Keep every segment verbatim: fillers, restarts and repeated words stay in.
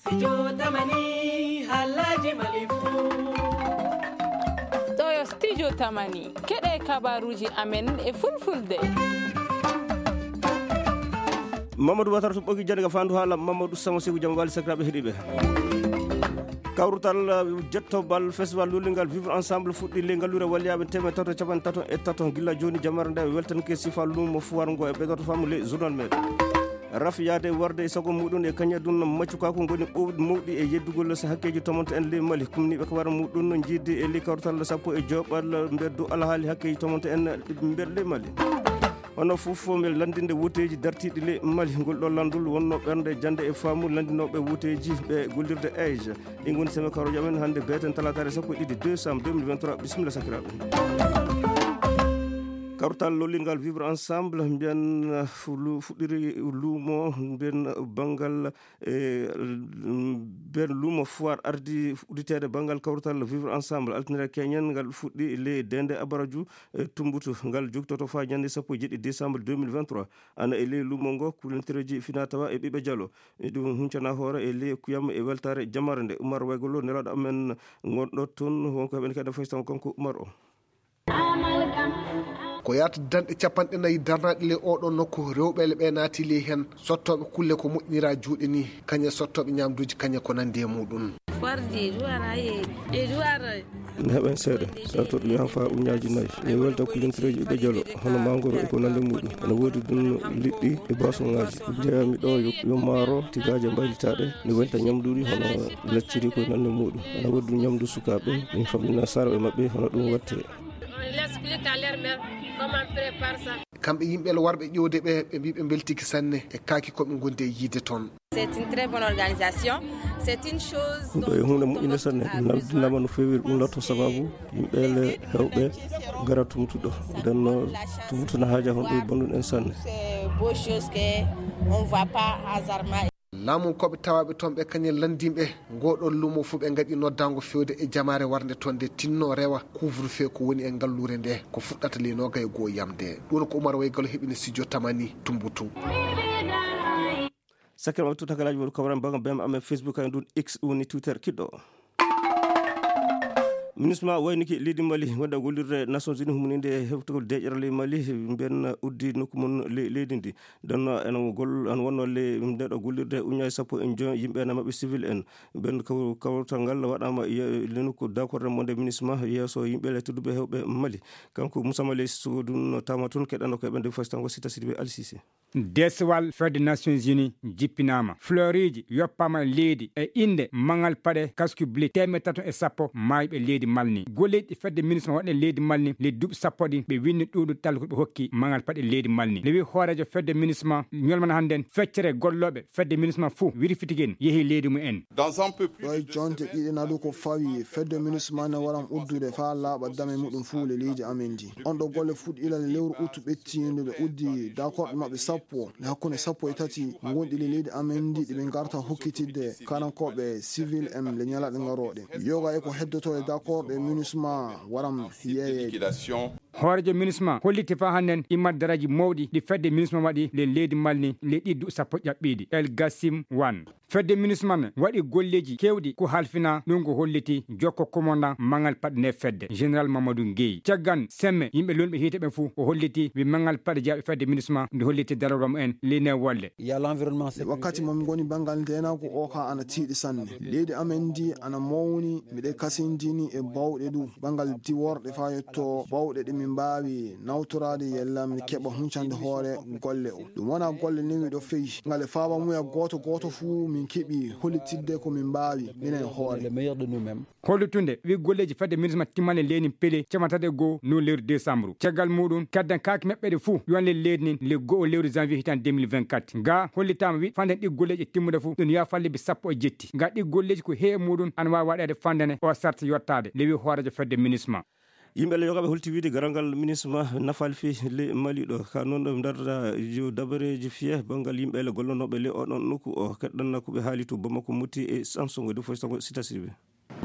Studio Tamani, halaji Mali fu. Ɗo yo Studio Tamani, keɗe kabaruji amen e fulfulde. Mamadou Watara to ɓogi jande ka fandu haala Mamadou Sama Seku, jam wali sakiraɓe heɗiɓe. Kawrutal, uh, jettobal festival lollingal Vivre Ensemble fuɗɗi le ngalluure waliyaɓe temeɗɗe tato capanɗe tato e tato. Gilla joni jamare nde weltanke sifa lumo fuwar ngo e ɓeydoto famu le journal meɗen. Raf yaade warde e sago muɗum e kañadun maccukaku ngoni ɓowɗi mawɗi e yeddugol so hakkeji tomonto en le Mali. Kumniɓe ko wara muɗum no jiidi e le kawrutal sappo e joɓal mbeddu alhaali hakkeji tomonto en mbed le Mali. Hono fof, fof mel lanndinde wuteeji dartiiɗi le Mali. Ngol ɗo lanndol wonno ɓernde jannde e faamu lanndinooɓe wuteeji ɓe gollirde Asia. Ɗi ngoni seme karojo amen hannde beeten talaataare sappo e ɗiɗi décembre deux mille vingt-trois. Bisimilla sakiraaɓe. Kawtal lollingal Vivre Ensemble, mbiyan, uh, fu-, lu-, fuɗɗiri luumo, mbiyan, uh, banngal e, mm, ben lumo foire ardi udditeede banngal kawtal Vivre Ensemble. Altine keñen ngal fuɗɗi le dende Abaraju e Tumbutu. Ngal jogtoto faa ñande sappo e jeeɗiɗi décembre deux mille vingt-trois. Ana e le lumo ngo kulentereji fina tawa e ɓiɓɓe jalo. E ɗum huncana hoore e le kuyam e weltare jamare nde. Umar Waygolo, nelaɗo amen ngonɗo toon, wonko heɓen kadi faystan kanko Umar o. Ko yahata danɗe capanɗe nayi darnaaɗe ley oo ɗoo nokku, rewɓe ɓe naati ley heen, sottooɓe kulle ko moƴƴiniraa juuɗe nii, kañum e sottooɓe ñaamduuji kañum e ko nanndi e muuɗum. Ne heɓen seeɗa, sarto ɗum yaha faa uñaaji nayi. Min welta kulintireeji ɓiɓɓe jalo, hono mangoro e ko nanndi muuɗum. Ene woodi ɗum liɗɗi e boisonŋaaji. Ko njeeyami ɗoo yo, yo maaro, tigaaje mbaylitaaɗe, ne welta ñamduuji hono lacciri ko e nanndi muuɗum. Ene woodi ɗum ñamdu sukaaɓe, min fammina sarɓe maɓɓe hono ɗum watte. Kamɓe yimɓe warɓe ƴoowde ɓe, ɓe mbii ɓe mbeltiike sanne e kaaki ko ɓe ngondi e yiide toon. C'est une très bonne organisation. C'est une chose. Ɗum ɗo e huunde moƴƴunde sanne. Naldinama no feewi ɗum latto sababu yimɓe le hewɓe gara tumtuɗo. Nden no tumtuna haaja honɗo e bonɗum en sanne. C'est beau chose que on voit pas hasardement. Laamunkooɓe tawaaɓe toon ɓe kañum lanndimɓe ngoo ɗoo lumo fuu ɓe ngaɗi noddaango feewde e jamaare warnde toon nde tinno rewa couvre-feu ko woni e ngalluure nde ko fuɗɗata ley noogaye goo yamde. Ɗum ko Umar Waygalo heɓini studio Tamani Tumbutu. Sakkere maɓɓe tutakalaji woɗi kawran baga bem amen Facebook ay ndun X woni Twitter kiɗɗo. Minisma wayniki leydi Mali wonde gollirde Nations Unies humuninde e heftugol deƴere ley Mali, mben uddi nokku mon leydi ndi. Donno en gol en wonno le ndeɗo gollirde uñaji sappo en joy yimɓe na maɓɓe civil en. Ben kawtal ngal waɗama lenuko dakorde monde minisma yeeso yimɓe le tudduɓe hewɓe Mali. Kanko Moussa Mali sugudun tama tun keɗano ko ɓen de fostan ko sita sidi ɓe alsise. Deswal fedde Nations Unies jippinaama. Floriji yoppaama leydi e innde mangal paɗe kasku bli teemeɗɗe tato e sappo maayɓe leydi malni. Golleeji fedde minisma waɗe leydi malni le duuɓi sappo ɗi ɓe winni ɗuuɗu talko ɓe hokki mangal paɗe leydi malni. Le wi hooreejo fedde minisma ñolmana hannden feccere gollooɓe fedde minisma fuu wirfitigen yehi leydi mu en. Dans un peu plus. Ɗo e jonte ɗiɗi naadu ko fawi fedde minisma ne waran uddude faa laaɓa dame muɗum fuu le leydi amen ndi. On ɗo golle fuɗɗi ilal lewru utu ɓettiinde ɓe uddi dakorɗe maɓɓe sappo le hakkunde sappo e tati ngonɗi le leydi amen ndi ɗi ɓe ngarta hokkitidde kanankooɓe civil en le ñalaɗe ngarooɗe. Yoga e ko heddoto e dakorɗe minisma waram yeeyeede. Hooreejo minisma holliti faa hannden immat daraji mawɗi ɗi fedde minisma waɗi le leydi malni le ɗiɗɗu sappo ƴaɓɓiiɗi el gasim wan. Fedde minisma ne waɗi golleeji keewɗi ko halfina ɗum ko holliti jokko komandan mangal paɗe nde fedde général mamadou gueyi caggan semme yimɓe lonɓe hiite ɓen fuu o holliti wi mangal paɗe jaaɓe fedde minisma nde holliti darorwa mumen ley ne wolle. Wakkati mo min ngoni banngal ndeenaagu o ka ana tiiɗi sanne. Leydi amen ndi ana mawni, miɗe kasindini e bawɗe du banngal diworɗe faa yetto bawɗe ɗe min mbaawi nawtoraade yalla min keɓa huncande hoore golle o. Ɗum wonaa golle newiiɗo fey, ngal e faaba muya gooto gooto fuu min keɓi hollitidde ko min mbaawi minen hoore. Hollitunde wi golleeji fedde minisma timmane leynin pele camatati e goo no lewru desambru. Caggal muɗum, kaddan kaaki meɓɓeɗe fuu yonle leydi nin le go'o lewru janvier hitan deux mille vingt-quatre. Ga hollitaama wi fanden ɗi golleeji timmude fuu ɗum yaha fal lebbi sappo e jetti. Ga ɗi golleeji ko heewi muɗum ana waawi waɗeede fandene o sarti yottaade le wi hooreejo fedde minisma. Yimɓe le yogaɓe holti wiide garal ngal minisma nafaali fii le mali ɗo ka noon ɗo darda yo dabareeji fiye banngal yimɓe le gollonooɓe le oɗon nokku o keɗɗanna ko ɓe haali to bamako mutti e sanso ngo defo sango sita sirbe.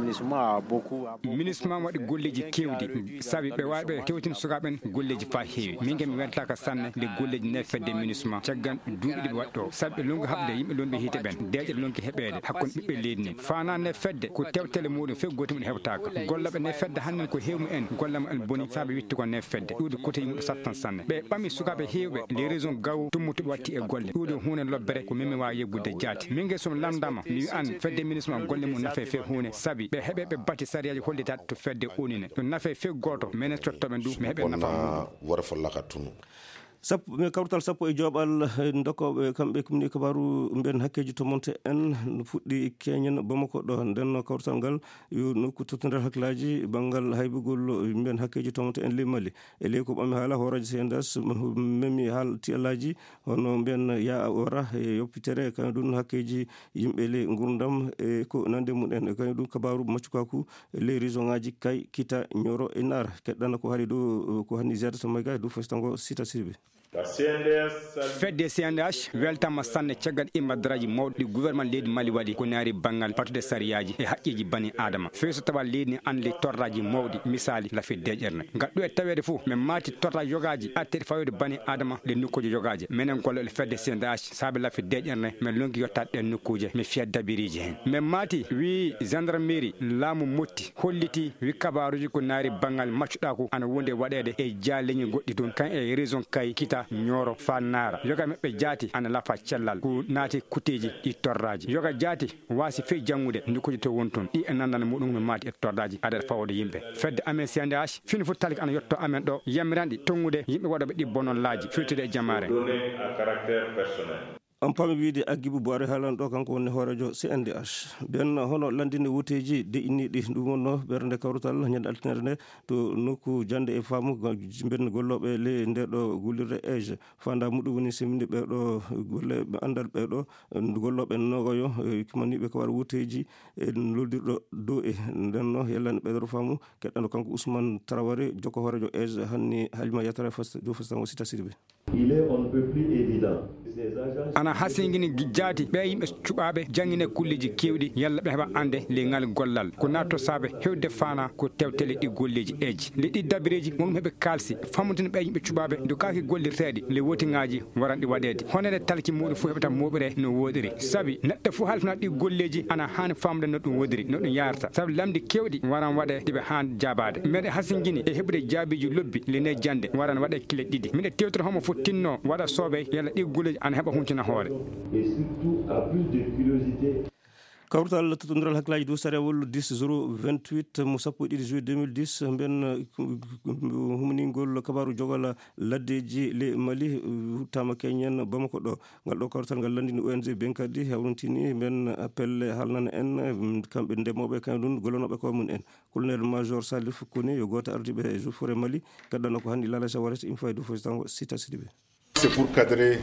Minisma waɗi golleeji keewɗi, sabi ɓe waawi ɓe tewtin sukaaɓe en golleeji faa heewi. Min kam mi weltaaka sanne nde golleeji nayi fedde Minisma caggal duuɓi ɗi ɓe waɗi ɗo, sabi ɓe lonki haɓde yimɓe lombi hiite ɓen, deeƴere lonki heɓeede hakkunde ɓiɓɓe leydi ndin. Faanaa nde fedde ko tewtele muuɗum, few gooto mum heɓtaaka. Gollooɓe nde fedde hannde ko heewi mum en, gollal mum en boni, sabi witti ko nde fedde. Ɗuuɗi kote yimɓe sattan sanne. Ɓe ɓami sukaaɓe heewɓe, les raisons gaw tummutuɓe watti e golle. Ɗuuɗi huunde lobbere ko min mi waawi yeggude jaati. Min nge somi lamndaama, mi wi'an fedde Minisma golle mum nafe few huunde, sabi ɓe heɓe ɓe bati sariyaaji hollitaaɗi to fedde unine. Ɗum nafe few gooto, menen tottooɓe ndu, mi heɓe nafa muuɗum. Wona wore follaka tunu. Sappo, ɓe kawtal sappo e joɓal, eh, dokkooɓe, kamɓe kumni kabaaru mbiyen hakkeeji tomonte en no fuɗɗi keñen Bamako ɗo. Nden no kawtal ngal yo nokku tottondiral hakkillaaji banngal haybugol mbiyen hakkeeji tomonte en ley Mali. E ley ko ɓami haala hooreejo C N D H, memi haal tiyallaaji hono mbiyen ya wara e yoppitere, kañum ɗum hakkeeji yimɓe ley ngurdam e ko nande mum en. Kañum ɗum kabaaru maccukaku ley région ŋaaji Kay, Kita, Ñoro e Naar. Keɗɗana ko haali dow, ko hanni ziyaada to Mayga e dow fasitango Sita Sirbe. Fedde C N D H weltama sanne caggal immadraji mawɗi ɗi gouvernement leydi Mali waɗi ko naari banngal batude sariyaaji e haqqeeji bani Adama. Feeso tawa leydi ndi anndi torraaji mawɗi, misaali lafi deeƴere. Ngal ɗo e taweede fof, min maati torraaji yogaaji atteeɗi fawde bani Adama ɗe nokkuuje yogaaji. Menen gollooɓe fedde C N D H, saabe lafi deeƴere, min lonki yottaade ɗen nokkuuje, min fiya dabiriiji heen. Min maati, wii gendarmerie, laamu motti, holliti, wi kabaaruuji ko naari banngal maccuɗaaku ana wondi e waɗeede e jaaleñi goɗɗi toon, kan e région Kay, Kita, Ñooro, faa Naara. Yoga maɓɓe jaati ana lafa cellal, ko naati kuteeji ɗi torraaji. Yoga jaati waasi fey janngude, nokkuuji to woni toon. Ɗi e nanndana muɗum no maati e torraaji adat fawde yimɓe. Fedde amen C N D H, fini fof talik ana yotto amen ɗo, yamiranɗi tonngude yimɓe waɗooɓe ɗi bonollaaji, firtude e jamaare. Données à caractère personnel. On paami wiide Agibu Boire haalan ɗo, kanko woni hooreejo C N D H. Ɓen hono lanndinde woteeji deƴƴiniiɗi, ɗum wonno ɓernde kawrutal ñande altine nde to nokku jannde e faamu, ɓen gollooɓe ley nde ɗo gullirde age. Faandaa muɗum woni seminde ɓe ɗo golle ɓe anndal ɓe ɗo gollooɓe noogayo, e, kimaniiɓe ko wara woteeji e loldirɗo dow e nden no yellande ɓeydoro faamu. Keɗɗano kanko Ousmane Traoré, jokko hooreejo age, hanni Halima Yatara fas-, dow fastango Sita Sirbe. Il est on ne peut plus évident. Ces agents ana hasingini gi-, jaati ɓe yimɓe cuɓaaɓe janngine kulleeji keewɗi, yalla ɓe heɓa annde ley ngal gollal. Ko naatto saabe hewde faana ko tewtele ɗi golleeji eji. Nde ɗi dabireeji, won heɓe kaalsi, fammude ɓe yimɓe cuɓaaɓe, ndukaaki gollirteeɗi, le wotiŋaaji waran ɗi waɗeede. Honere talki muɗum fof heɓata mooɓre no woɗiri. Sabi neɗɗo fof halfina ɗi golleeji ana haani famde no ɗum woɗiri, no ɗum yaarta. Sabi lamɗi keewɗi waran waɗe ɗi ɓe haani jaabaade. Meɗe hasingini e heɓude jaabiiji lobbi le ne jannde waran waɗe kile ɗiɗi. Miɗe tewtira homo fof tinno waɗa soobey yalla ɗi golleeji ana heɓa huncina hoore. Et surtout, à plus de curiosité. Kawtal tottondiral hakkillaaji dow sariyawol dix zéro vingt-huit mo sappo e ɗiɗi juillet deux mille dix, mben, uh, huminingol kabaaru jogal laddeeji le Mali, uh, huttama keñen Bamako ɗo. Ngal ɗo kawtal ngal lanndini O N G Benkadi, hawrintini mben pelle haalnana en, um, kamɓe ndemooɓe, kañum ɗum gollanooɓe koye mum en. Colonel Major Salif Kone yo gooto ardiiɓe Eaux et Forêts Mali, gaddano ko hanni Lala Jawara, im faydu fof tango Sita Sidibé. C'est pour cadrer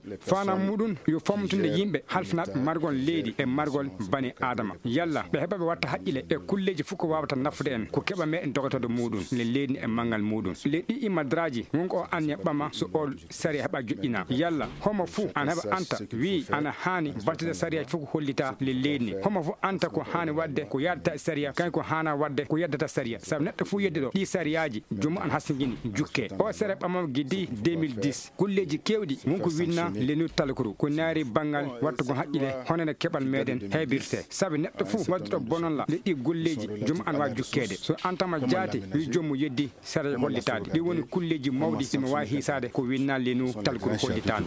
les personnes. Faanam muɗum yo famtude yimɓe halfinaaɓe margol leydi e margol bani Adama. Yalla ɓe heɓa ɓe watta haqqile e kulleeji fof ko waawata nafude en, ko keɓa meɗen dogotooɗo muɗum, le leydi e manngal muɗum. Le ɗi imadraaji, won ko o anniya ɓama so o sariya heɓa joƴƴina. Yalla homo fof ana heɓa anta, wi ana haani battude sariyaaji fof ko hollita le leydi ni. Homo fof anta ko haani waɗde, ko yaadata e sariya, kañ ko haana waɗde, ko yaddata sariya. Sabu neɗɗo fof yeddi ɗo, ɗi sariyaaji, joomum ana hasingini, jukke. O sere ɓamam giddi deux mille dix. Golleeji keewɗi, won ko winna le nu talkuru, ko naari banngal wattugol haqqile, hono no keɓal meɗen heɓirte. Sabu neɗɗo fof wadduɗo bononla, le ɗi golleeji, joomum ana waawi jukkeede. So antama jaati, wi joomum yeddi, sere hollitaade. Ɗi woni kulleeji mawɗi, ɗi mi waawi hiisaade, ko winna le nu talkuru hollitaano.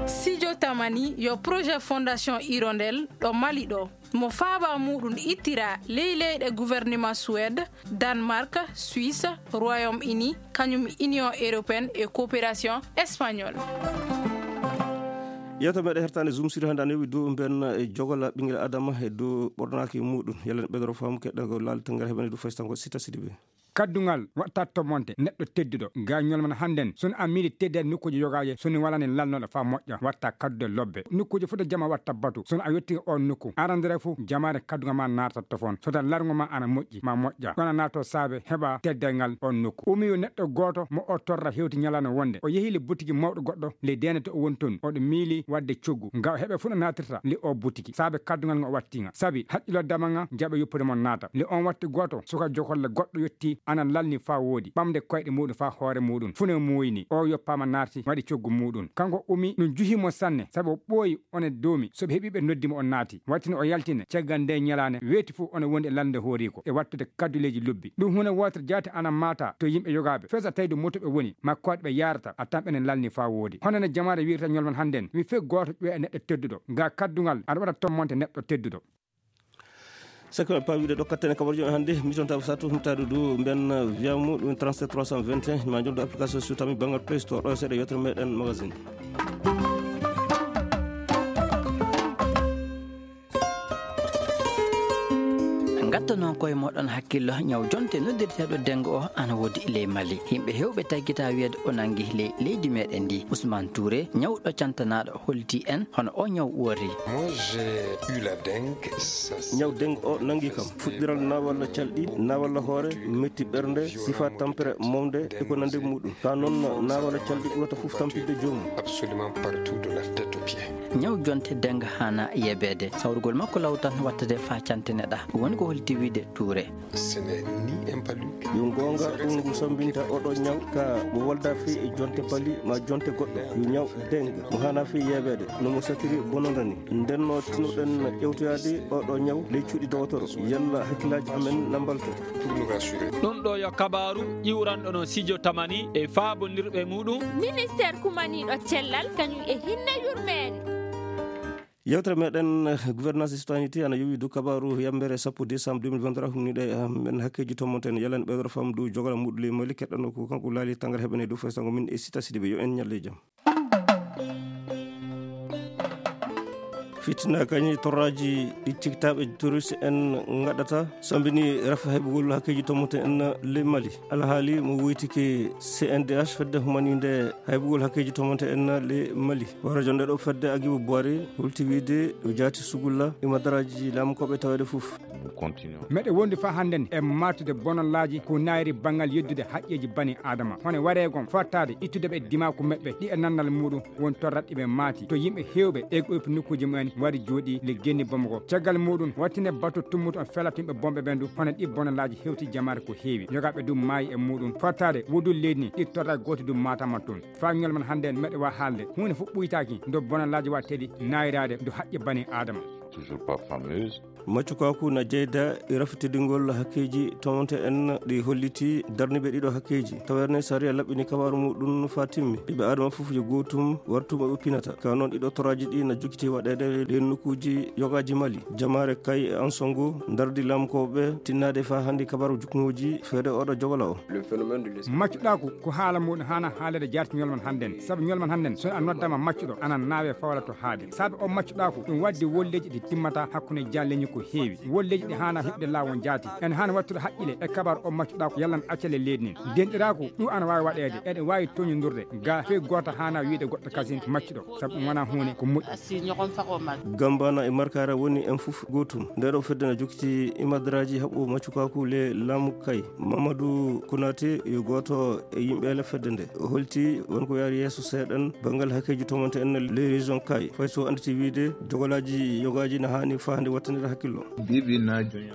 Sijo Tamani yo projet Fondation Hirondelle ɗo Mali ɗo. Mo faaba muɗum ittira ley leyɗe gouvernement Suède, Danemark, Suisse, Royaume-Uni, kañum Union Européenne e Coopération Espagnole. Yewta meɗe hertande Zoom Sud hannde ana yowi dow mben e jogola ɓinngel Adama e dow ɓornaaki muɗum. Yalla ne ɓeydoro faamu keɗɗa ko laal tengere heɓani dow faysango Sita Sidibé. Kaddungal watta tomonte neɗɗo tedduɗo. Ga ñolman hannden, sono a miili teddaade nokkuuji yogaaje, sono walani lalnoɗo faa moƴƴa, watta kaddude lobbe. Nokkuuji fof de jama watta batu. Sono a yotti on nokku, arandere fof jamaare kaddungal ma naata tofon. So tan larngo ma ana moƴƴi, ma moƴƴa. Ɗon a naato saabe heɓa teddal ngal on nokku. Umi yo neɗɗo gooto mo o torra hewti ñalaande wonde o yehi le butiki mawɗo goɗɗo, le deenete o woni toon, oɗo miili waɗde coggu. Nga o heɓe fof no naatirta le o butiki. Saabe kaddungal ngo o watti nga. Sabi haqqilo dama nga jaɓe yoppude mo naata. Le on watti gooto, suka jokolle goɗɗo yotti, ana lalni faa woodi, ɓamde koyɗe muuɗum faa hoore muuɗum. Fune muuyi ni. O yoppaama naati, waɗi coggu muuɗum. Kanko umi, ɗum juhi mo sanne, sabi o ɓooyi, one doomi. So ɓe heɓi ɓe noddi mo, o naati. Wattino o yaltine, caggal nde ñalaande, weeti fof one wondi e lalnde hooriiko, e wattude kadduleeji lobbi. Ɗum huunde wootere jaati ana maata to yimɓe yogaaɓe. Fesa tawi ɗum moto ɓe woni, ma koyɗe ɓe yaarata, a tan ɓe ne lalni faa woodi. Hono no jamaare wiyata ñolman hannden, mi fek gooto ƴoya e neɗɗo tedduɗo. Ga kaddungal, aɗa waɗa tommonte neɗɗo tedduɗo. Sakko e paawiɗe ɗo katten e kabarjo hannde, mi tonta satu mutadu du mben viamu ɗum trente-sept trois cent vingt et un, ma joldo application sur tami bangal Play Store, ɗo seeɗa yewtere meɗen magazine. Ngatto noon koye moɗon hakkillo ñaw jonte noddirteeɗo dengo o ana woodi ley Mali. Yimɓe hewɓe taggita wiyeede o nangi ley leydi meɗen ndi. Ousmane Touré, ñawɗo cantanaɗo, holti en hono o ñaw wori. Moi, j'ai eu la dengue. Ça, c'est ñaw dengue o nangi kam. Fuɗɗiral nawalla calɗi, nawalla hoore, metti ɓernde, sifa tampere mawde e ko nande muɗum. Ka noon nawalla calɗi ɓurata fof tampinde joomum. Absolument partout de la tête aux pieds. Ñaw jonte dengue hana yebeede. Sawrugol makko lawtan wattade fa cantine ɗa. Woni ko holti wiide Touré. Ce n'est ni un palu. Yo goonga ɗum ngu sambinta oɗo ñaw ka mo wolda fii e jonte pali ma jonte goɗɗo. Yo ñaw dengue mo hana fii yebeede no mo satiri bononda ni. Ndenno tinoɗen ƴewtoyaade oɗo ñaw ley cuuɗi dowotoro. Yalla hakkillaaji amen na mbalto. Ɗum ɗo yo kabaaru ƴiwranɗo no Sijo Tamani e faabondirɓe muɗum. Ministeer kumaniiɗo cellal kañum e hinne yurmeende. Yewtere meɗen, eh, gouvernance e citoyenneté ana yowi dow kabaaru yambere sappo décembre deux mille vingt-trois, humniɗe, eh, men hakkeeji tommonten. Yalan ɓeydoro fam dow jogala muɗum ley Mali, keɗɗano ko kanko laali tangara heɓene dow faysango min e Sita Sidibe. Yo en ñalle jam. Fitina kañi torraji ɗi cikkitaaɓe terroriste en ngaɗata sambini rafa heɓugol hakkeeji tommote en ley Mali. Alhaali mo woytike C N D H, fedde humaninde heɓugol hakkeeji tommote en ley Mali. Hoore jonde ɗo fedde Agibu Buwari holti wiide o jaati sugulla e madaraaji laamukoɓe taweede fof. Meɗe wondi fa hannden e martude bonallaaji ko naayri banngal yeddude haqqeeji bani Aadama. Hono wareegon fottaade ittude ɓe dimaaku meɓɓe ɗi e nannal muɗum won torraɗɗi ɓe maati. To yimɓe heewɓe e ɗoypi nokkuuji mumen wari jooɗi le genni Bamako. Caggal muɗum wattine batu tummuto on felatinɓe bomɓe ɓen du hono ɗi bonallaaji hewti jamaare ko heewi. Yogaaɓe du maayi e muɗum fottaade wudul leydi ni ɗi torra gooti du maatama toon. Fa ñolman hannden meɗe wa haalde huunde fof ɓuytaaki ndo bonallaaji wa teɗi naayraade ndo haqqe bani Aadama. Toujours pas fameuse. Maccukaku na jeyda e rafitidingol hakkeeji tawante en ɗi holliti darniɓe ɗiɗo hakkeeji. Tawerne sariya laɓɓini kabaaru muɗum fa timmi. Ɓiɓɓe Aadama fof yo gootum wartu mo ɓe pinata. Ka noon ɗiɗo toraaji ɗi na jokkiti waɗeede e nokkuuji yogaaji Mali. Jamaare Kay e Ansongo ndardi lamkooɓe tinnaade fa hannde kabaaru juknooji feede oɗo jogala o. Maccuɗaaku ko haala muɗum hana haalede jaati ñolman hannden. Sabu ñolman hannden so a noddama maccuɗo ana naawe fawla to haade. Sabu o maccuɗaaku ɗum waddi wolleeji ɗi timmata hakkunde jaalleñi ko heewi. Wolleeji ɗi hana heɓde laawol jaati. En hana wattude haqqile e kabar o maccuɗaaku yallan accale leydi nin. Denɗiraaku ɗum ana waawi waɗeede. Eɗe waawi toñodurde ga fey gooto hana wiide goɗɗo kasin maccuɗo. Sabu ɗum wona huunde ko moƴƴi. Gambana e Markara woni en fof gootum. Nde ɗo fedde na jokkiti imadraji haɓɓo maccukaku le laamu Kay. Mamadou Konaté yo gooto e yimɓe ele fedde nde. O holti won ko yaari yeeso seeɗan banngal hakkeeji tomante en le région Kay. Fay so annditi wiide jogolaaji yogaaji na haani fahde wattandira hakkillo.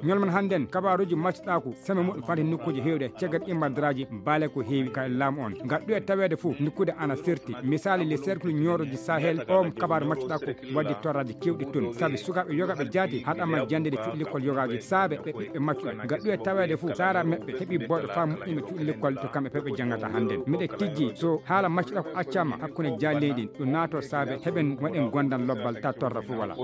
Ñolman hannden kabaaruji maccuɗaaku seme muɗum fati nokkuuji heewɗe caggal imadraji baale ko heewi ka e laamu on. Ngal ɗo e taweede fof nokkuude ana serti. Misaali le cercle ñooroji Sahel, o kabaaru maccuɗaaku waddi torraji kewɗi toon. Sabi sukaaɓe yogaaɓe jaati haɗama jannde cuuɗi lekkol yogaaji saabe ɓe ɓiɓɓe maccuɓe. Ngal ɗo e taweede fof saara meɓɓe heɓi booɗo faa moƴƴinɓe cuuɗi lekkol to kamɓe ɓe ɓe janngata hannden. Miɗe tijji so haala maccuɗaaku accama hakkunde jaalleeɗi ɗin ɗo naato saabe heɓen waɗen gondan lobbal ta torra fof wala.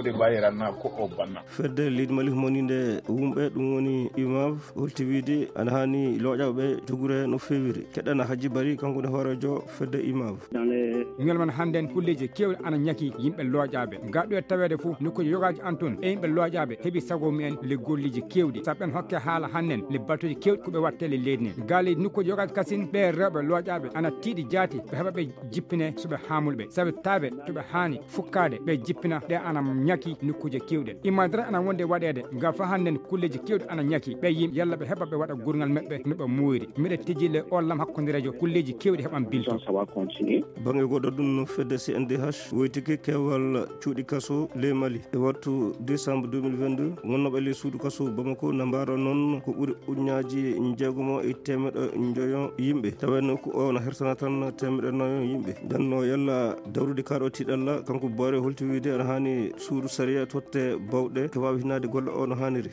Fedde leydi Mali humaninde wumɓe ɗum woni UMAV holti wiide ana haani looƴaɓe jogure no feewiri. Keɗɗana Hajji Bari kanko ne hooreejo fedde UMAV. Dans les Ñalman hannden kulleeji keewɗi ana ñaki yimɓe looƴaaɓe. Gaɗo e taweede fof nokkuuji yogaaji an toon e yimɓe looƴaaɓe heɓi sago mumen le golleeji keewɗi. Sabu en hokke haala hannden le baltoji keewɗi ko ɓe watte le leydi nden. Gaaleeji nokkuuji yogaaji kasin ɓe rewɓe looƴaaɓe ana tiiɗi jaati ɓe heɓa ɓe jippine suɓe haamulɓe. Sabu taaɓe to ɓe haani fukkaade ɓe jippina ɗe ana ñaki nokkuuji keewɗi. Imma dara ana wonde waɗeede ngam fa hannden kulleeji keewɗi ana ñaki ɓe yimɓe yalla ɓe heɓa ɓe waɗa gurngal maɓɓe no ɓe muuyri. Miɗa tijji le ollam hakkunderejo kulleeji keewɗi heɓan bilto. Bannge goɗɗo ɗum no fedde C N D H woytike keewal cuuɗi kaso ley Mali e wattu décembre deux mille vingt-deux. Wonnooɓe ley suudu kaso Bamako na mbaara noon ko ɓuri ujunnaaji njeegomo e teemeɗɗe njoyo yimɓe. Tawenno ko o na hersana tan teemeɗɗe nayo yimɓe. Ndenno yalla dawrude kaɗo tiɗalla kanko Boore holti wiide ana haani suudu sariya totte bawɗe ke waawi hinnaade golle o no haaniri.